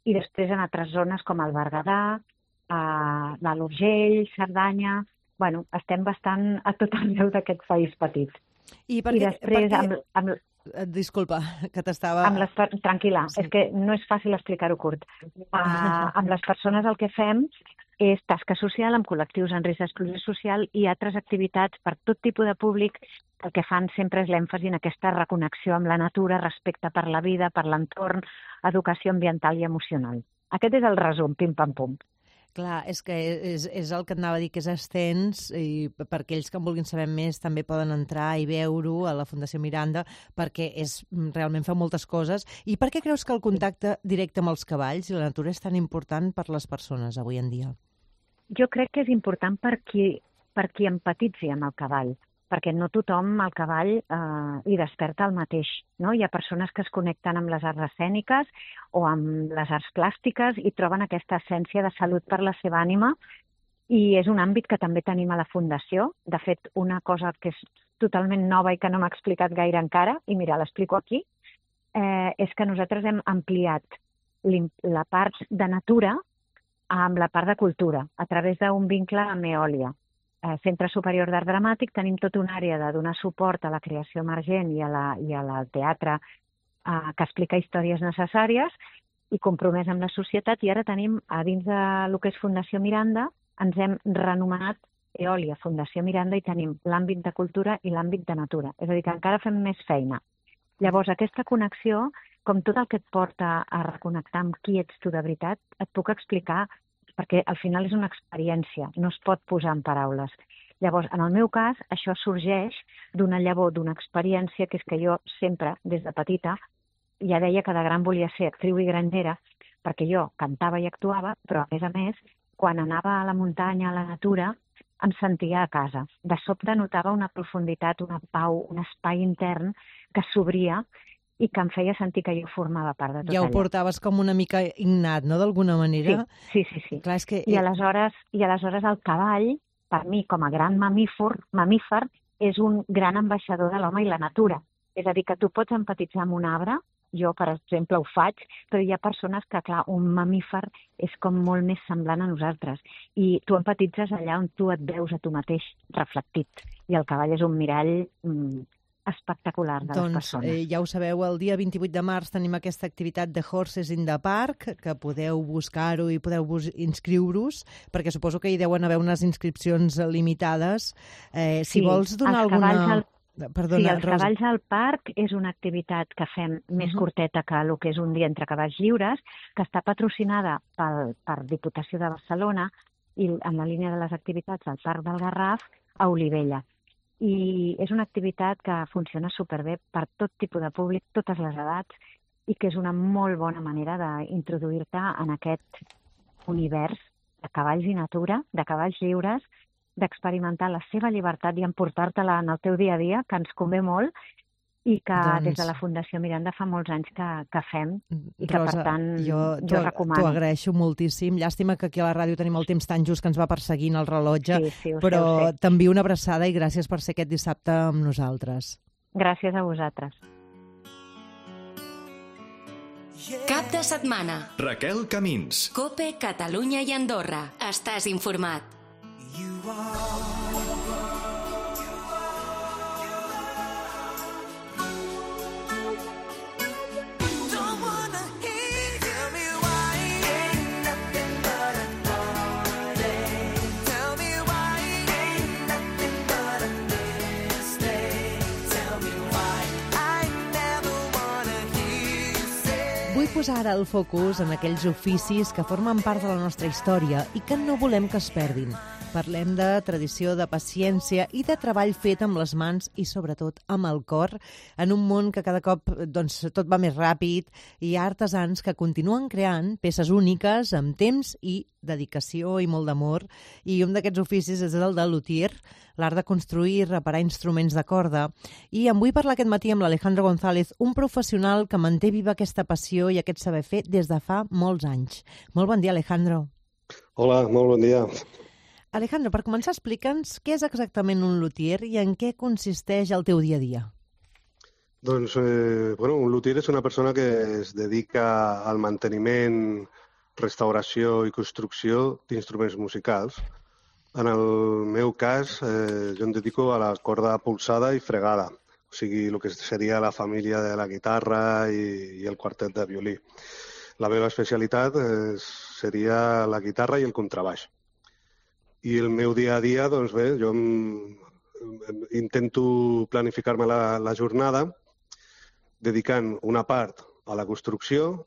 i després en altres zones com el Berguedà, a l'Alt Urgell, Cerdanya... Bueno, estem bastant a tot arreu d'aquest país petit. I, per I què, després... per què... Amb, amb, Disculpa, que t'estava... Amb les, tranquil·la, sí. És que no és fàcil explicar-ho curt. Uh, amb les persones el que fem és tasca social amb col·lectius en risc d'exclusió social i altres activitats per tot tipus de públic. El que fan sempre és l'èmfasi en aquesta reconnexió amb la natura, respecte per la vida, per l'entorn, educació ambiental i emocional. Aquest és el resum, pim-pam-pum. Clar, és que és, és el que et anava a dir, que és extens i per aquells que en vulguin saber més també poden entrar i veure-ho a la Fundació Miranda perquè és, realment fa moltes coses. I per què creus que el contacte directe amb els cavalls i la natura és tan important per les persones avui en dia? Jo crec que és important per qui, per qui empatitzi amb el cavall, perquè no tothom al cavall eh, hi desperta el mateix. No? Hi ha persones que es connecten amb les arts escèniques o amb les arts plàstiques i troben aquesta essència de salut per la seva ànima i és un àmbit que també tenim a la Fundació. De fet, una cosa que és totalment nova i que no m'ha explicat gaire encara, i mira, l'explico aquí, eh, és que nosaltres hem ampliat la part de natura amb la part de cultura a través d'un vincle amb Eòlia. Centre Superior d'Art Dramàtic tenim tota una àrea de donar suport a la creació emergent i, a la, i al teatre eh, que explica històries necessàries i compromès amb la societat, i ara tenim, a dins de lo que és Fundació Miranda, ens hem renomenat Eòlia, Fundació Miranda, i tenim l'àmbit de cultura i l'àmbit de natura. És a dir, que encara fem més feina. Llavors, aquesta connexió, com tot el que et porta a reconnectar amb qui ets tu de veritat, et puc explicar perquè al final és una experiència, no es pot posar en paraules. Llavors, en el meu cas, això sorgeix d'una llavor, d'una experiència, que és que jo sempre, des de petita, ja deia que de gran volia ser actriu i grangera, perquè jo cantava i actuava, però a més a més, quan anava a la muntanya, a la natura, em sentia a casa. De sobte notava una profunditat, una pau, un espai intern que s'obria i que em feia sentir que jo formava part de tot ja ho allò. portaves com una mica innat, no?, d'alguna manera. Sí, sí, sí. sí. Clar, és que... I, aleshores, I aleshores el cavall, per mi, com a gran mamífer, mamífer, és un gran ambaixador de l'home i la natura. És a dir, que tu pots empatitzar amb un arbre, jo, per exemple, ho faig, però hi ha persones que, clar, un mamífer és com molt més semblant a nosaltres. I tu empatitzes allà on tu et veus a tu mateix reflectit. I el cavall és un mirall mm, espectacular de doncs, les persones. Eh, ja ho sabeu, el dia vint-i-vuit de març tenim aquesta activitat de Horses in the Park, que podeu buscar-ho i podeu inscriure-us, perquè suposo que hi deuen haver unes inscripcions limitades. Eh, si sí, vols donar alguna... Al... Perdona, sí, els Rosa. cavalls al parc és una activitat que fem més Uh-huh. curteta que el que és un dia entre cavalls lliures, que està patrocinada pel, per Diputació de Barcelona i en la línia de les activitats al Parc del Garraf a Olivella. I és una activitat que funciona superbé per tot tipus de públic, totes les edats, i que és una molt bona manera d'introduir-te en aquest univers de cavalls i natura, de cavalls lliures, d'experimentar la seva llibertat i emportar-te-la en el teu dia a dia, que ens convé molt, i que Doncs... des de la Fundació Miranda fa molts anys que, que fem, i que Rosa, per tant jo, jo recomano. T'ho agraeixo moltíssim. Llàstima que aquí a la ràdio tenim el temps tan just que ens va perseguint el rellotge, sí, sí, ho però sé, ho sé. t'envio una abraçada i gràcies per ser aquest dissabte amb nosaltres. Gràcies a vosaltres. Cap de setmana. Raquel Camins. Cope, Catalunya i Andorra. Estàs informat. Vull posar ara el focus en aquells oficis que formen part de la nostra història i que no volem que es perdin. Parlem de tradició, de paciència i de treball fet amb les mans i, sobretot, amb el cor, en un món que cada cop doncs, tot va més ràpid i hi ha artesans que continuen creant peces úniques amb temps i dedicació i molt d'amor. I un d'aquests oficis és el de luthier, l'art de construir i reparar instruments de corda. I en vull parlar aquest matí amb l'Alejandro González, un professional que manté viva aquesta passió i aquest saber fer des de fa molts anys. Molt bon dia, Alejandro. Hola, molt bon dia. Alejandro, per començar, explica'ns què és exactament un luthier i en què consisteix el teu dia a dia. Doncs, eh, bueno, un luthier és una persona que es dedica al manteniment, restauració i construcció d'instruments musicals. En el meu cas, eh, jo em dedico a la corda polsada i fregada, o sigui, el que seria la família de la guitarra i, i el quartet de violí. La meva especialitat eh, seria la guitarra i el contrabaix. I el meu dia a dia, doncs bé, jo em, em, intento planificar-me la, la jornada dedicant una part a la construcció,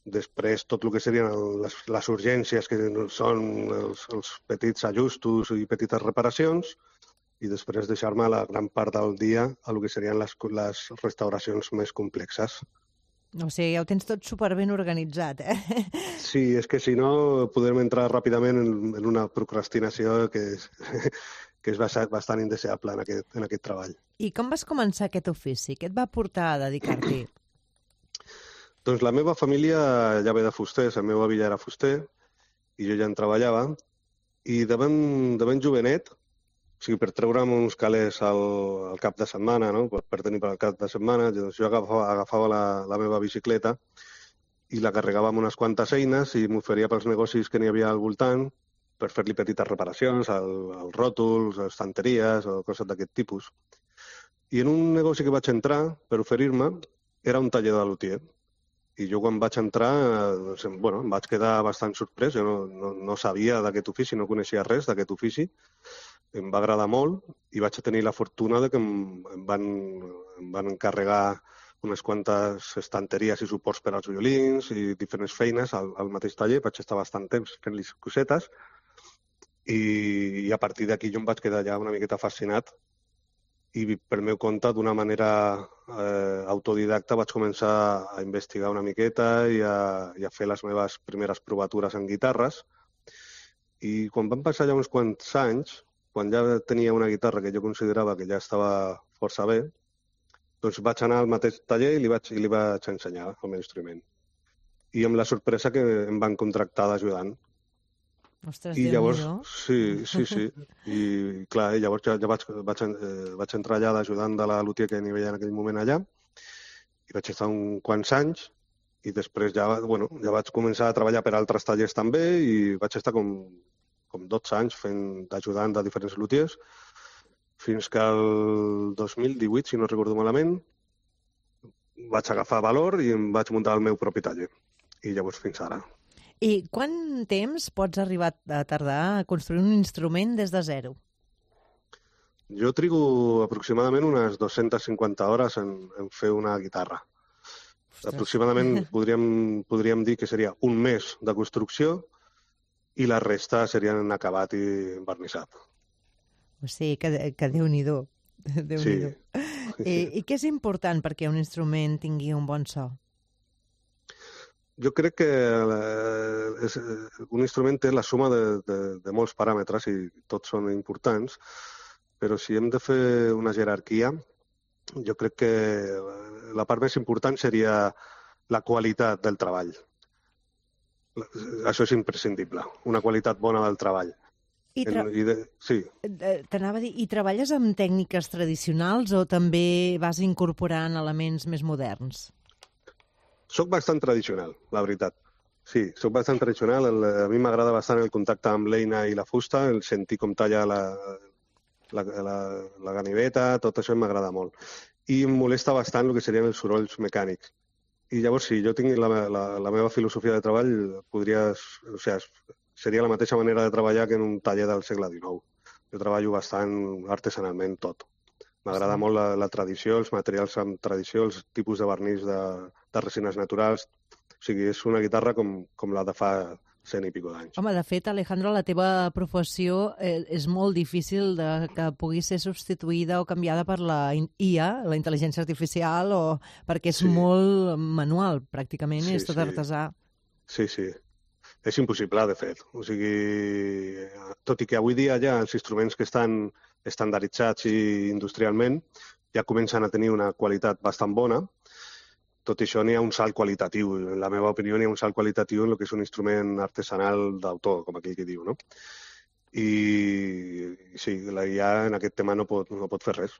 després tot el que serien les, les urgències, que són els, els petits ajustos i petites reparacions, i després deixar-me la gran part del dia a el que serien les, les restauracions més complexes. O sigui, ja ho tens tot superben organitzat, eh? Sí, és que si no podem entrar ràpidament en, en una procrastinació que és, que és bastant indeseable en aquest, en aquest treball. I com vas començar aquest ofici? Què et va portar a dedicar-t'hi? Doncs la meva família ja ve de fusters, el meu avi ja era fuster i jo ja en treballava, i de ben, de ben jovenet, o sigui, per treure'm uns calés al, al cap de setmana, no? per, per tenir per al cap de setmana, doncs jo agafava, agafava la, la meva bicicleta i la carregava amb unes quantes eines i m'oferia pels negocis que n'hi havia al voltant per fer-li petites reparacions, al, als ròtols, estanteries o coses d'aquest tipus. I en un negoci que vaig entrar per oferir-me era un taller de luthier. I jo quan vaig entrar, doncs, bueno, em vaig quedar bastant sorprès. Jo no, no, no sabia d'aquest ofici, no coneixia res d'aquest ofici. Em va agradar molt i vaig tenir la fortuna de que em, em, van, em van encarregar unes quantes estanteries i suports per als violins i diferents feines al, al mateix taller. Vaig estar bastant temps fent-li cosetes i, i a partir d'aquí jo em vaig quedar ja una miqueta fascinat i per meu compte, d'una manera eh, autodidacta, vaig començar a investigar una miqueta i a, i a fer les meves primeres provatures en guitarres. I quan van passar ja uns quants anys, quan ja tenia una guitarra que jo considerava que ja estava força bé, Doncs vaig anar al mateix taller i li vaig, i li vaig ensenyar el meu instrument. I amb la sorpresa que em van contractar d'ajudant. Ostres, I llavors, Déu-n'hi-do. sí, sí, sí. I clar, i llavors ja, ja vaig, vaig, eh, vaig entrar allà d'ajudant de la luthier que n'hi havia en aquell moment allà i vaig estar uns quants anys i després ja, bueno, ja vaig començar a treballar per altres tallers també i vaig estar com, com dotze anys fent d'ajudant de diferents luthiers fins que el dos mil divuit, si no recordo malament, vaig agafar valor i em vaig muntar el meu propi taller. I llavors fins ara. I quant temps pots arribar a tardar a construir un instrument des de zero? Jo trigo aproximadament unes dues-centes cinquanta hores en, en fer una guitarra. Ostres. Aproximadament podríem, podríem dir que seria un mes de construcció i la resta serien en acabat i envernissat. O sigui, que, que Déu-n'hi-do. Déu-n'hi-do. Sí. I, I què és important perquè un instrument tingui un bon so? Jo crec que eh, és, un instrument té la suma de, de, de molts paràmetres i tots són importants, però si hem de fer una jerarquia, jo crec que la part més important seria la qualitat del treball. Això és imprescindible, una qualitat bona del treball. I tra... en, i de... Sí. T'anava a dir, i treballes amb tècniques tradicionals o també vas incorporant elements més moderns? Soc bastant tradicional, la veritat. Sí, soc bastant tradicional. El, a mi m'agrada bastant el contacte amb l'eina i la fusta, el sentir com talla la, la, la, la ganiveta, tot això m'agrada molt. I em molesta bastant el que serien els sorolls mecànics. I llavors, si jo tinc la, la, la meva filosofia de treball, podria, o sigui, seria la mateixa manera de treballar que en un taller del segle dinou. Jo treballo bastant artesanalment tot. M'agrada molt la, la tradició, els materials amb tradició, els tipus de vernís de, de resines naturals. O sigui, és una guitarra com, com la de fa cent i pico d'anys. Home, de fet, Alejandro, la teva professió eh, és molt difícil de que pugui ser substituïda o canviada per la I A, la intel·ligència artificial, o perquè és sí. molt manual, pràcticament, sí, és tot sí. artesà. Sí, sí. És impossible, de fet. O sigui, tot i que avui dia ja els instruments que estan estandarditzats i industrialment ja comencen a tenir una qualitat bastant bona, tot i això n'hi ha un salt qualitatiu. En la meva opinió n'hi ha un salt qualitatiu en el que és un instrument artesanal d'autor, com aquell que diu, no? I sí, la I A en aquest tema no pot, no pot fer res.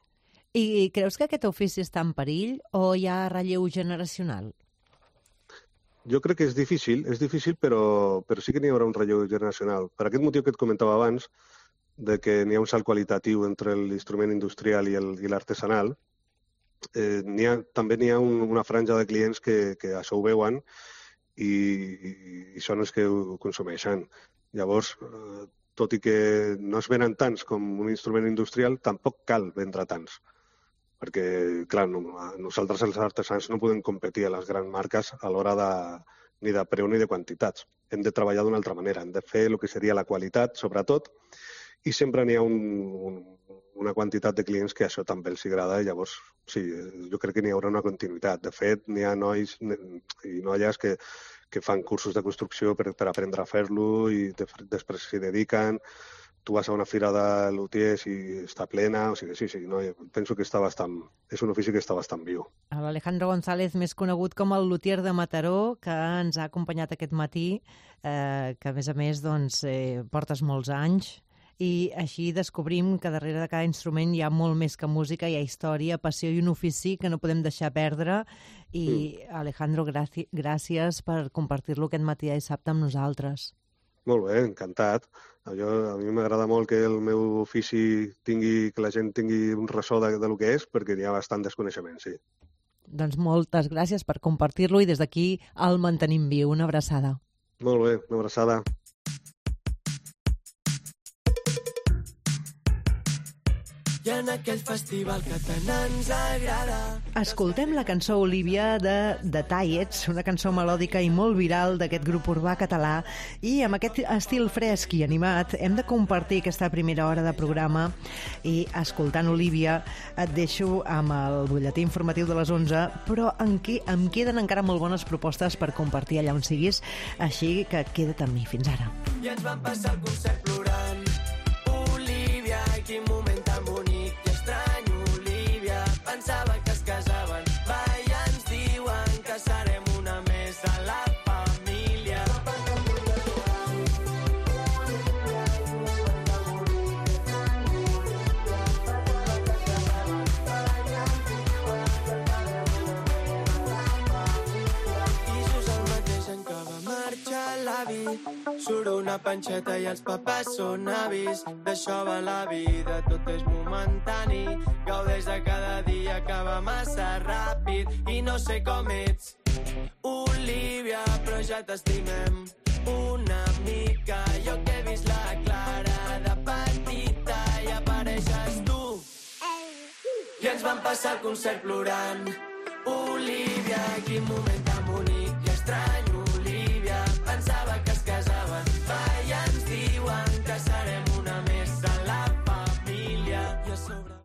I creus que aquest ofici està en perill o hi ha relleu generacional? Jo crec que és difícil, és difícil, però, però sí que n'hi haurà un relleu generacional. Per aquest motiu que et comentava abans, de que n'hi ha un salt qualitatiu entre l'instrument industrial i l'artesanal, eh, n'hi ha, també n'hi ha un, una franja de clients que, que això ho veuen i, i, i són els que ho consumeixen. Llavors, eh, tot i que no es venen tants com un instrument industrial, tampoc cal vendre tants. Perquè, clar, no, nosaltres els artesans no podem competir a les grans marques a l'hora de, ni de preu ni de quantitats. Hem de treballar d'una altra manera, hem de fer el que seria la qualitat, sobretot, i sempre n'hi ha un, un, una quantitat de clients que això també els agrada i llavors, sí, jo crec que n'hi haurà una continuïtat. De fet, n'hi ha nois i noies que, que fan cursos de construcció per, per aprendre a fer-lo i de, després s'hi dediquen. Tu vas a una fira de luthiers i està plena, o sigui, sí, sí, no, penso que està bastant, és un ofici que està bastant viu. L'Alejandro González, més conegut com el luthier de Mataró, que ens ha acompanyat aquest matí, eh, que a més a més doncs, eh, portes molts anys, i així descobrim que darrere de cada instrument hi ha molt més que música, hi ha història, passió i un ofici que no podem deixar perdre. I, mm. Alejandro, gràcies per compartir-lo aquest matí i dissabte amb nosaltres. Molt bé, encantat. Jo, a mi m'agrada molt que el meu ofici tingui, que la gent tingui un ressò de, de lo que és, perquè hi ha bastant desconeixement, sí. Doncs moltes gràcies per compartir-lo i des d'aquí el mantenim viu. Una abraçada. Molt bé, una abraçada. I en aquell festival que tant ens agrada. Escoltem la cançó Olivia de The Tiets, una cançó melòdica i molt viral d'aquest grup urbà català, i amb aquest estil fresc i animat hem de compartir aquesta primera hora de programa i escoltant Olivia et deixo amb el butlletí informatiu de les onze, però en què em queden encara molt bones propostes per compartir allà on siguis, així que queda't amb mi. Fins ara. I ens vam passar el concert plorant. Olivia, quin moment tan bonic i estrany, Olivia, pensava que es casava. surt una panxeta i els papers són avis. D'això va la vida, tot és momentani. Gaudeix de cada dia que va massa ràpid. I no sé com ets, Olivia, però ja t'estimem una mica. Jo que he vist la Clara de petita i apareixes tu. I ens vam passar el concert plorant. Olivia, quin moment